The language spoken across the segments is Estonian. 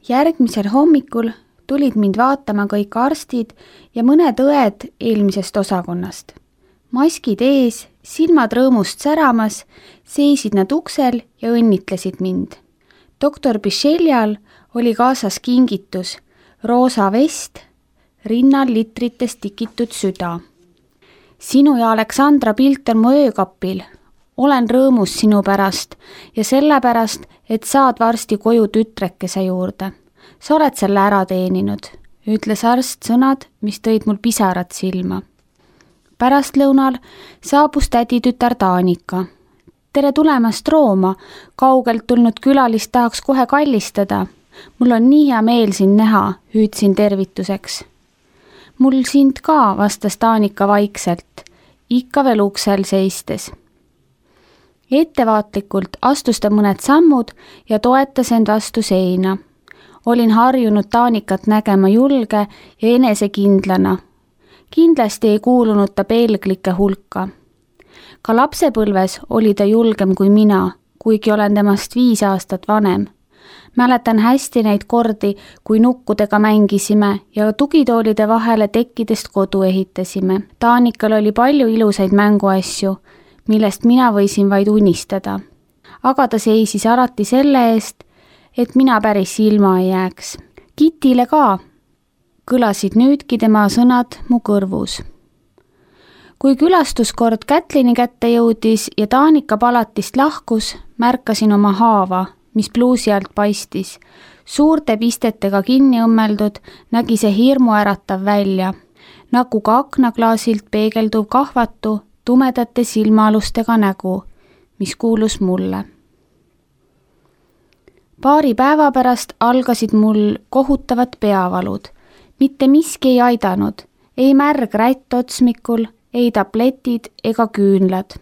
Järgmisel hommikul tulid mind vaatama kõik arstid ja mõned õed eelmisest osakonnast. Maskid ees, silmad rõõmust säramas, seisid nad uksel ja õnnitlesid mind. Doktor Bicheljal oli kaasas kingitus, roosa vest, rinnal litritest tikitud süda. Sinu ja Aleksandra pilt on mu öökapil. Olen rõõmus sinu pärast ja sellepärast, et saad varsti koju tütrekese juurde. Sa oled selle ära teeninud, ütles arst sõnad, mis tõid mul pisarad silma. Pärastlõunal saabus täditütar Taanika. Tere tulemast Rooma, kaugelt tulnud külalist tahaks kohe kallistada. Mul on nii hea meel sind näha, hüüdsin tervituseks. Mul sind ka, vastas Taanika vaikselt, ikka veel uksel seistes. Ettevaatlikult astus ta mõned sammud ja toetas end vastu seina. Olin harjunud Taanikat nägema julge ja enesekindlana. Kindlasti ei kuulunud ta pelglike hulka. Ka lapsepõlves oli ta julgem kui mina, kuigi olen temast 5 aastat vanem. Mäletan hästi neid kordi, kui nukkudega mängisime ja tugitoolide vahele tekkidest kodu ehitasime. Taanikal oli palju ilusaid mänguasju, millest mina võisin vaid unistada. Aga ta seisis alati selle eest, et mina päris ilma ei jääks. Kitile ka, kõlasid nüüdki tema sõnad mu kõrvus. Kui külastuskord Kätlini kätte jõudis ja Taanika palatist lahkus, märkasin oma haava, mis pluusi alt paistis. Suurte pistetega kinni õmmeldud nägi see hirmu äratav välja, nagu ka aknaklaasilt peegelduv kahvatu tumedate silmaalustega nägu, mis kuulus mulle. Paari päeva pärast algasid mul kohutavad peavalud. Mitte miski ei aidanud, ei märg rätt otsmikul, ei tabletid ega küünlad.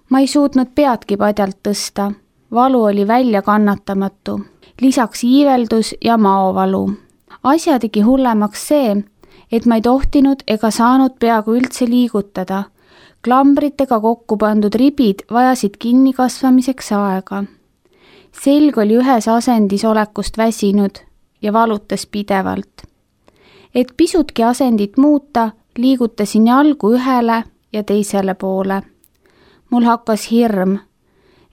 Ma ei suutnud peadki padjalt tõsta, valu oli välja kannatamatu, lisaks iiveldus ja maovalu. Asja tegi hullemaks see, et ma ei tohtinud ega saanud peaaegu üldse liigutada. Klambritega kokku pandud ribid vajasid kinnikasvamiseks aega. Selg oli ühes asendis olekust väsinud ja valutas pidevalt. Et pisutki asendit muuta, liigutasin jalgu ühele ja teisele poole. Mul hakkas hirm,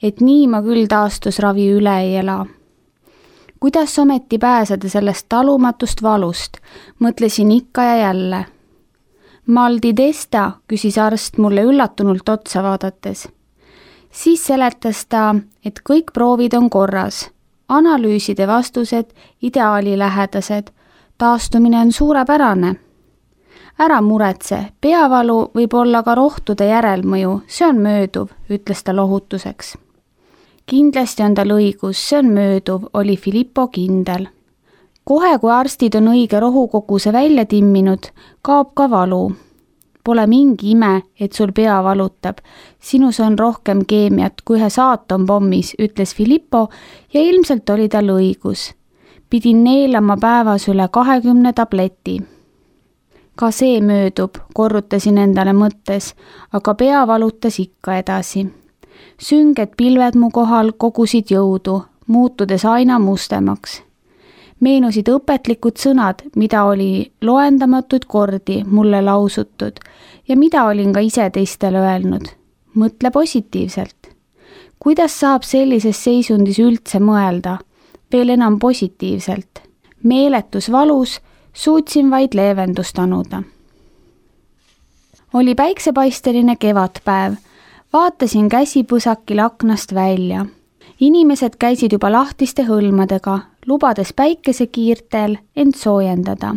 et nii ma küll taastusravi üle ei ela. Kuidas ometi pääseda sellest talumatust valust, mõtlesin ikka ja jälle. Mal di testa, küsis arst mulle üllatunult otsa vaadates. Siis seletas ta, et kõik proovid on korras, analüüside vastused ideaalilähedased, taastumine on suurepärane. Ära muretse, peavalu võib olla ka rohtude järelmõju, see on mööduv, ütles ta lohutuseks. Kindlasti on tal õigus, see on mööduv, oli Filippo kindel. Kohe, kui arstid on õige rohukoguse välja timminud, kaob ka valu. Pole mingi ime, et sul pea valutab. Sinus on rohkem keemiat kui ühes aatonpommis, ütles Filippo ja ilmselt oli tal õigus. Pidin neelama päevas üle 20 tableti. Ka see möödub, korrutasin endale mõttes, aga pea valutas ikka edasi. Sünged pilved mu kohal kogusid jõudu, muutudes aina mustemaks. Meenusid õpetlikud sõnad, mida oli loendamatuid kordi mulle lausutud ja mida olin ka ise teistele öelnud. Mõtle positiivselt. Kuidas saab sellises seisundis üldse mõelda? Veel enam positiivselt. Meeletus valus suutsin vaid leevendust anuda. Oli päiksepaisteline kevadpäev. Vaatasin käsipõsakil aknast välja. Inimesed käisid juba lahtiste hõlmadega, lubades päikesekiirtel end soojendada.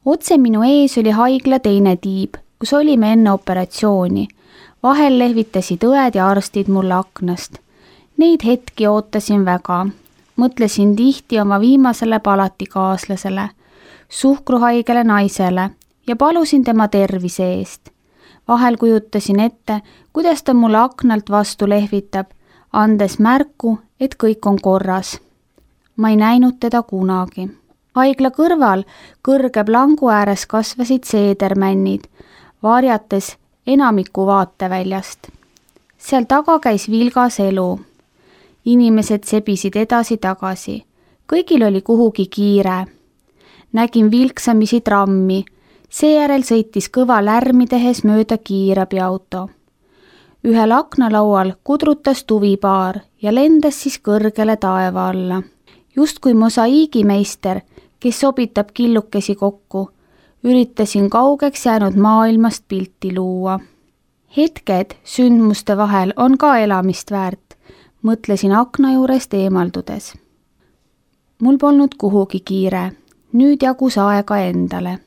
Otse minu ees oli haigla teine tiib, kus olime enne operatsiooni. Vahel lehvitasid õed ja arstid mulle aknast. Neid hetki ootasin väga. Mõtlesin tihti oma viimasele palatikaaslasele, suhkruhaigele naisele ja palusin tema tervise eest. Vahel kujutasin ette, kuidas ta mulle aknalt vastu lehvitab, andes märku, et kõik on korras. Ma ei näinud teda kunagi. Haigla kõrval kõrge plangu ääres kasvasid seedermännid, varjates enamiku vaateväljast. Seal taga käis vilgas elu. Inimesed sebisid edasi-tagasi. kõigil oli kuhugi kiire. Nägin vilksamisi trammi, seejärel sõitis kõva lärmi tehes mööda kiirabiauto. Ühel aknalaual kudrutas tuvipaar ja lendas siis kõrgele taeva alla. Justkui mosaiigimeister, kes sobitab killukesi kokku, üritasin kaugeks jäänud maailmast pilti luua. Hetked sündmuste vahel on ka elamist väärt, mõtlesin akna juurest eemaldudes. Mul polnud kuhugi kiire, nüüd jagus aega endale.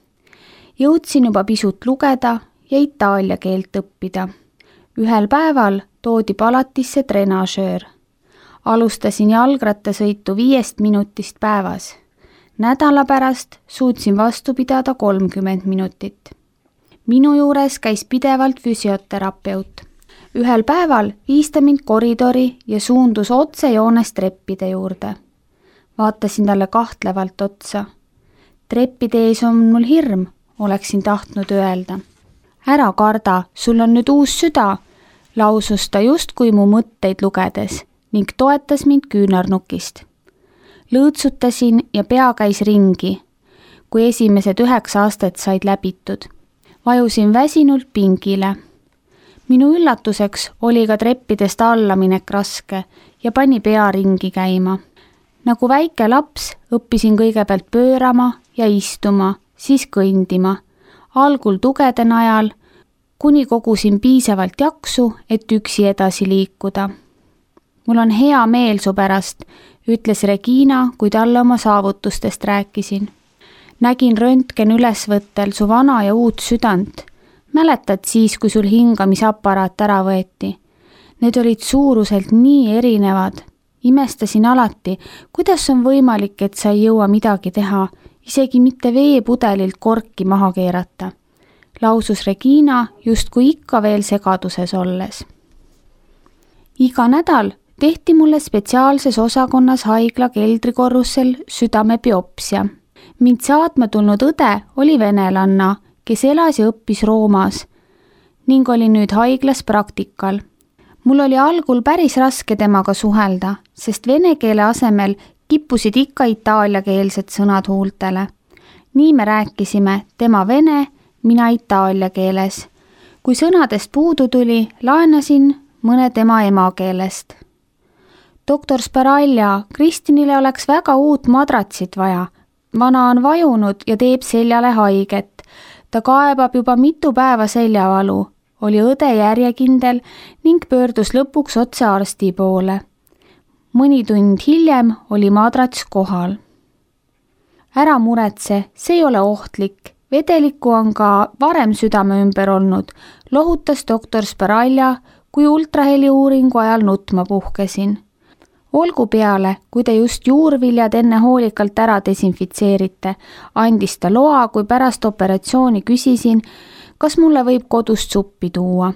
Jõudsin juba pisut lugeda ja itaalia keelt õppida. Ühel päeval toodi palatisse trenažöör. Alustasin jalgrattasõitu 5 minutist päevas. Nädala pärast suutsin vastu pidada 30 minutit. Minu juures käis pidevalt füsioterapeut. Ühel päeval viis ta mind koridori ja suundus otsejoones treppide juurde. Vaatasin talle kahtlevalt otsa. Treppide ees on mul hirm, oleksin tahtnud öelda. Ära karda, sul on nüüd uus süda, lausus ta justkui mu mõtteid lugedes ning toetas mind küünarnukist. Lõõtsutasin ja pea käis ringi, kui esimesed 9 aastat said läbitud. Vajusin väsinult pingile. Minu üllatuseks oli ka treppidest allaminek raske ja pani pea ringi käima. Nagu väike laps õppisin kõigepealt pöörama ja istuma, siis kõndima. Algul tugede najal, kuni kogusin piisavalt jaksu, et üksi edasi liikuda. Mul on hea meel su pärast, ütles Regina, kui talle oma saavutustest rääkisin. Nägin röntgen ülesvõttel su vana ja uut südant. Mäletad siis, kui sul hingamisaparaat ära võeti? Need olid suuruselt nii erinevad. Imestasin alati, kuidas on võimalik, et sa ei jõua midagi teha, isegi mitte veepudelilt korki maha keerata. Lausus Regina justkui ikka veel segaduses olles. Iga nädal tehti mulle spetsiaalses osakonnas haigla keldrikorrusel südamebiopsia. Mind saatma tulnud õde oli venelanna, kes elas ja õppis Roomas ning oli nüüd haiglas praktikal. Mul oli algul päris raske temaga suhelda, sest vene keele asemel kippusid ikka itaaliakeelsed sõnad huultele. Nii me rääkisime, tema vene, mina itaalia keeles. Kui sõnadest puudu tuli, laenasin mõne tema emakeelest. Doktor Sparaglia, Kristinile oleks väga uut madratsit vaja. Vana on vajunud ja teeb seljale haiget. Ta kaebab juba mitu päeva seljavalu, oli õde järjekindel ning pöördus lõpuks otse arsti poole. Mõni tund hiljem oli madrats kohal. Ära muretse, see ei ole ohtlik. Vedelikku on ka varem südame ümber olnud, lohutas doktor Sparaglia, kui ultraheli uuringu ajal nutma puhkesin. Olgu peale, kui te just juurviljad enne hoolikalt ära desinfitseerite, andis ta loa, kui pärast operatsiooni küsisin, kas mulle võib kodust suppi tuua.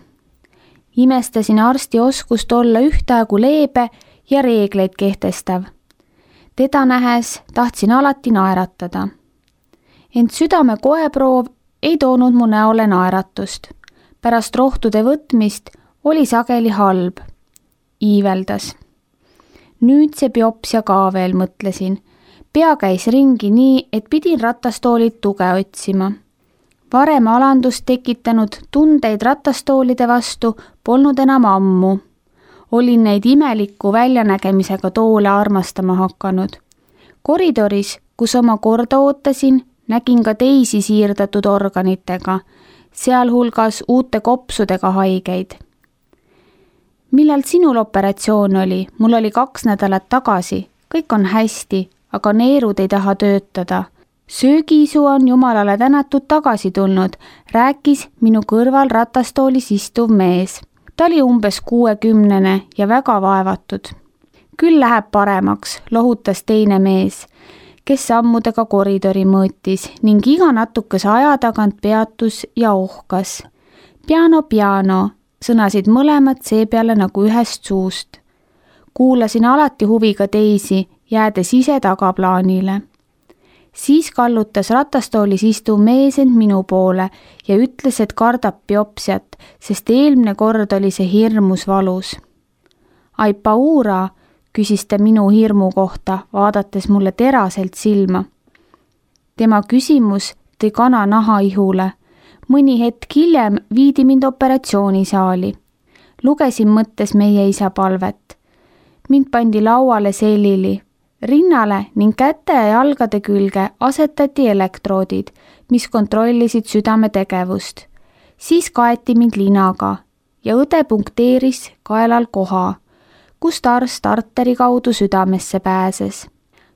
Imestasin arsti oskust olla ühtaegu leebe ja reegleid kehtestav. Teda nähes tahtsin alati naeratada. Ent südame koeproov ei toonud mu näole naeratust. Pärast rohtude võtmist oli sageli halb. Iiveldas. Nüüd see biopsia ka veel, mõtlesin. Pea käis ringi nii, et pidin ratastoolilt tuge otsima. Varem alandust tekitanud tundeid ratastoolide vastu polnud enam ammu. Olin neid imeliku väljanägemisega toole armastama hakanud. Koridoris, kus oma korda ootasin, nägin ka teisi siirdatud organitega, sealhulgas uute kopsudega haigeid. Millal sinul operatsioon oli? Mul oli 2 nädalat tagasi. Kõik on hästi, aga neerud ei taha töötada. Söögiisu on jumalale tänatud tagasi tulnud, rääkis minu kõrval ratastoolis istuv mees. Ta oli umbes 60 ja väga vaevatud. Küll läheb paremaks, lohutas teine mees, kes sammudega koridori mõõtis ning iga natukese aja tagant peatus ja ohkas. Piano, sõnasid mõlemad seepeale nagu ühest suust. Kuulasin alati huviga teisi, jäädes ise tagaplaanile. Siis kallutas ratastoolis istuv mees end minu poole ja ütles, et kardab biopsiat, sest eelmine kord oli see hirmus valus. Ai paura, küsis ta minu hirmu kohta, vaadates mulle teraselt silma. Tema küsimus tõi kananaha ihule. Mõni hetk hiljem viidi mind operatsioonisaali. Lugesin mõttes meie isa palvet. Mind pandi lauale selili. Rinnale ning käte ja jalgade külge asetati elektroodid, mis kontrollisid südame tegevust. Siis kaeti mind linaga ja õde punkteeris kaelal koha, kust arst arteri kaudu südamesse pääses.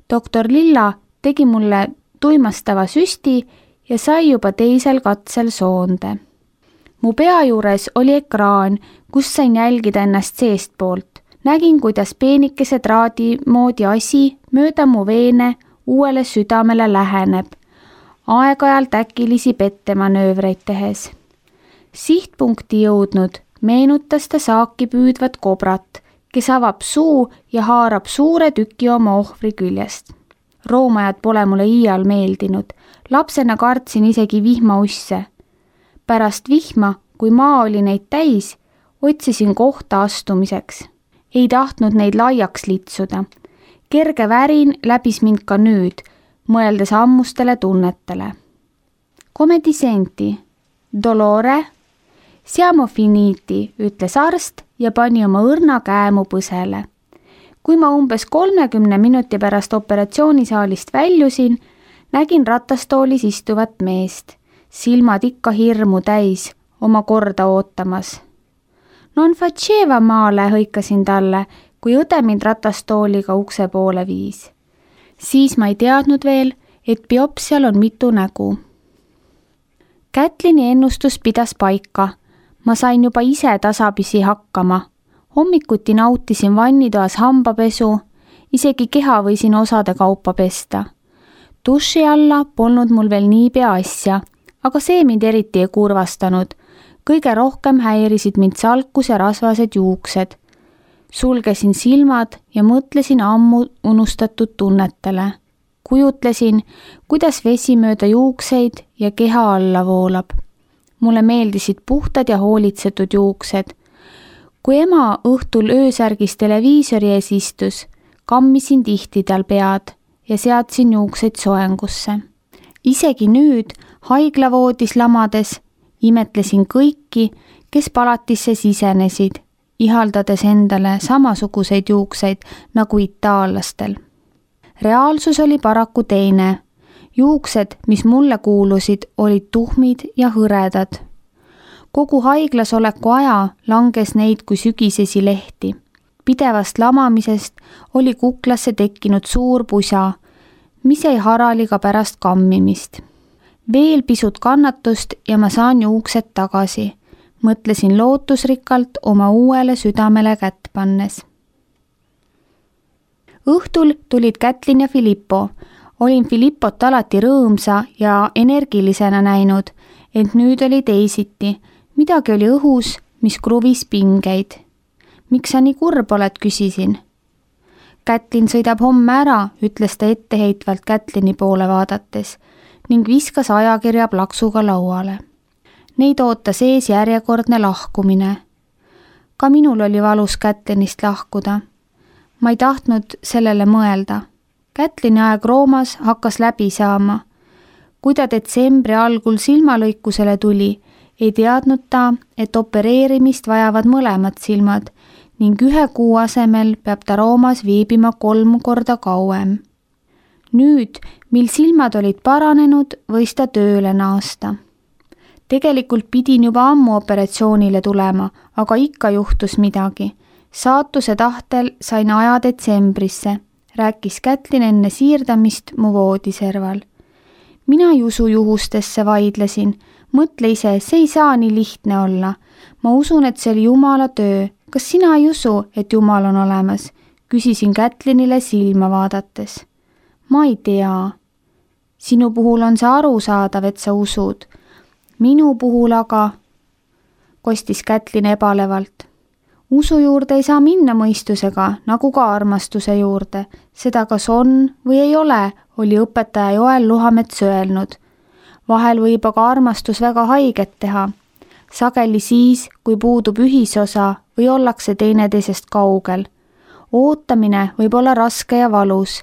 Doktor Lilla tegi mulle tuimastava süsti ja sai juba teisel katsel soonde. Mu pea juures oli ekraan, kus sain jälgida ennast seestpoolt. Nägin, kuidas peenikese traadi moodi asi mööda mu veene uuele südamele läheneb, aeg-ajalt äkilisi pettemanöövreid tehes. Sihtpunkti jõudnud meenutas ta saaki püüdvat kobrat, kes avab suu ja haarab suure tüki oma ohvri küljest. Roomajad pole mulle iial meeldinud. Lapsena kartsin isegi vihmausse. Pärast vihma, kui maa oli neid täis, otsisin kohta astumiseks. Ei tahtnud neid laiaks litsuda. Kerge värin läbis mind ka nüüd, mõeldes ammustele tunnetele. Come ti senti? Dolore? Siamo finiti, ütles arst ja pani oma õrna käe mu põsele. Kui ma umbes 30 minuti pärast operatsioonisaalist väljusin, nägin ratastoolis istuvat meest, silmad ikka hirmu täis, oma korda ootamas. Non faceva male, hõikasin talle, kui õde mind ratastooliga ukse poole viis. Siis ma ei teadnud veel, et biopsial on mitu nägu. Kätlini ennustus pidas paika. Ma sain juba ise tasapisi hakkama. Hommikuti nautisin vannitoas hambapesu, isegi keha võisin osade kaupa pesta. Duši alla polnud mul veel niipea asja, aga see mind eriti ei kurvastanud. Kõige rohkem häirisid mind salkus ja rasvased juuksed. Sulgesin silmad ja mõtlesin ammu unustatud tunnetele. Kujutlesin, kuidas vesi mööda juukseid ja keha alla voolab. Mulle meeldisid puhtad ja hoolitsetud juuksed. Kui ema õhtul öösärgis televiisori ees istus, kammisin tihti tal pead ja seadsin juukseid soengusse. Isegi nüüd, haiglavoodis lamades, imetlesin kõiki, kes palatisse sisenesid, ihaldades endale samasuguseid juukseid nagu itaallastel. Reaalsus oli paraku teine. Juuksed, mis mulle kuulusid, olid tuhmid ja hõredad. Kogu haiglas oleku aja langes neid kui sügisesi lehti. Pidevast lamamisest oli kuklasse tekkinud suur pusa, mis ei harali ka pärast kammimist. Veel pisut kannatust ja ma saan juuksed tagasi, mõtlesin lootusrikkalt oma uuele südamele kätt pannes. Õhtul tulid Kätlin ja Filippo. Olin Filippot alati rõõmsa ja energilisena näinud, ent nüüd oli teisiti. Midagi oli õhus, mis kruvis pingeid. Miks sa nii kurb oled, küsisin. Kätlin sõidab homme ära, ütles ta etteheitvalt Kätlini poole vaadates ning viskas ajakirja plaksuga lauale. Neid ootas ees järjekordne lahkumine. Ka minul oli valus Kätlinist lahkuda. Ma ei tahtnud sellele mõelda. Kätlini aeg Roomas hakkas läbi saama. Kui ta detsembri algul silmalõikusele tuli, ei teadnud ta, et opereerimist vajavad mõlemad silmad ning 1 kuu asemel peab ta Roomas viibima 3 korda kauem. Nüüd, mil silmad olid paranenud, võis ta tööle naasta. Tegelikult pidin juba ammu operatsioonile tulema, aga ikka juhtus midagi. Saatuse tahtel sain aja detsembrisse, rääkis Kätlin enne siirdamist mu voodiserval. Mina ei usu juhustesse, vaidlesin. Mõtle ise, see ei saa nii lihtne olla. Ma usun, et see oli Jumala töö. Kas sina ei usu, et Jumal on olemas? Küsisin Kätlinile silma vaadates. Ma ei tea. Sinu puhul on see arusaadav, et sa usud. Minu puhul aga, kostis Kätlin ebalevalt. Usu juurde ei saa minna mõistusega, nagu ka armastuse juurde. Seda kas on või ei ole, oli õpetaja Joel Luhamets öelnud. Vahel võib aga armastus väga haiget teha. Sageli siis, kui puudub ühisosa või ollakse teineteisest kaugel. ootamine võib olla raske ja valus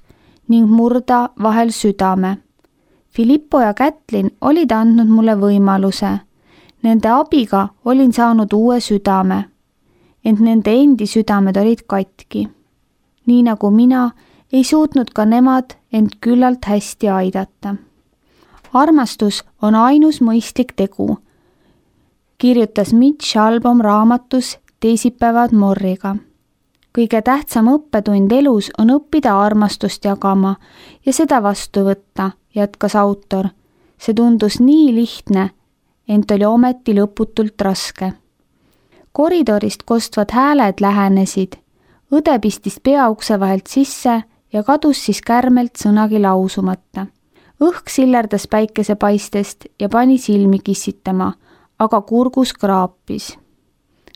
ning murda vahel südame. Filippo ja Kätlin olid andnud mulle võimaluse. Nende abiga olin saanud uue südame, ent nende endi südamed olid katki. Nii nagu mina, ei suutnud ka nemad end küllalt hästi aidata. Armastus on ainus mõistlik tegu, kirjutas Mitch Albom raamatus Teisipäevad Morriga. Kõige tähtsam õppetund elus on õppida armastust jagama ja seda vastu võtta, jätkas autor. See tundus nii lihtne, ent oli ometi lõputult raske. Koridorist kostvad hääled lähenesid. Õde pistis peaukse vahelt sisse ja kadus siis kärmelt sõnagi lausumata. Õhk sillerdas päikesepaistest ja pani silmi kissitama, aga kurgus kraapis.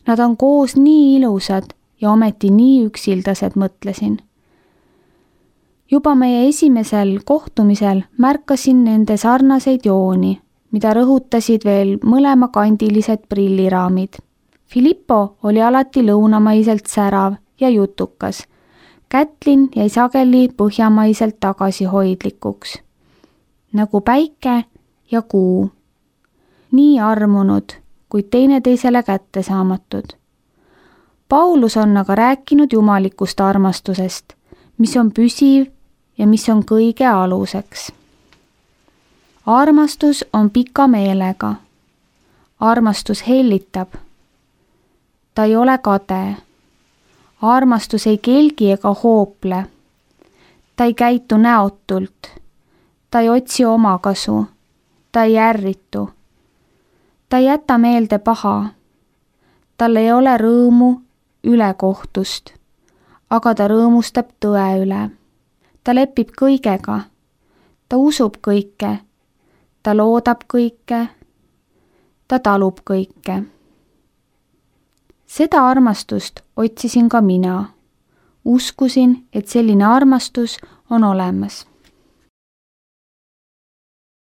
Nad on koos nii ilusad ja ometi nii üksildased, mõtlesin. Juba meie esimesel kohtumisel märkasin nende sarnaseid jooni, mida rõhutasid veel mõlemakandilised prilliraamid. Filippo oli alati lõunamaiselt särav ja jutukas. Kätlin jäi sageli põhjamaiselt tagasihoidlikuks. Nagu päike ja kuu. Nii armunud, kuid teineteisele kättesaamatud. Paulus on aga rääkinud jumalikust armastusest, mis on püsiv ja mis on kõige aluseks. Armastus on pika meelega. Armastus hellitab. Ta ei ole kade. Armastus ei kelgi ega hoople. Ta ei käitu näotult. Ta ei otsi omakasu. Ta ei ärritu. Ta ei jäta meelde paha. Tal ei ole rõõmu ülekohtust, aga ta rõõmustab tõe üle. Ta lepib kõigega. Ta usub kõike. Ta loodab kõike. Ta talub kõike. Seda armastust otsisin ka mina. Uskusin, et selline armastus on olemas.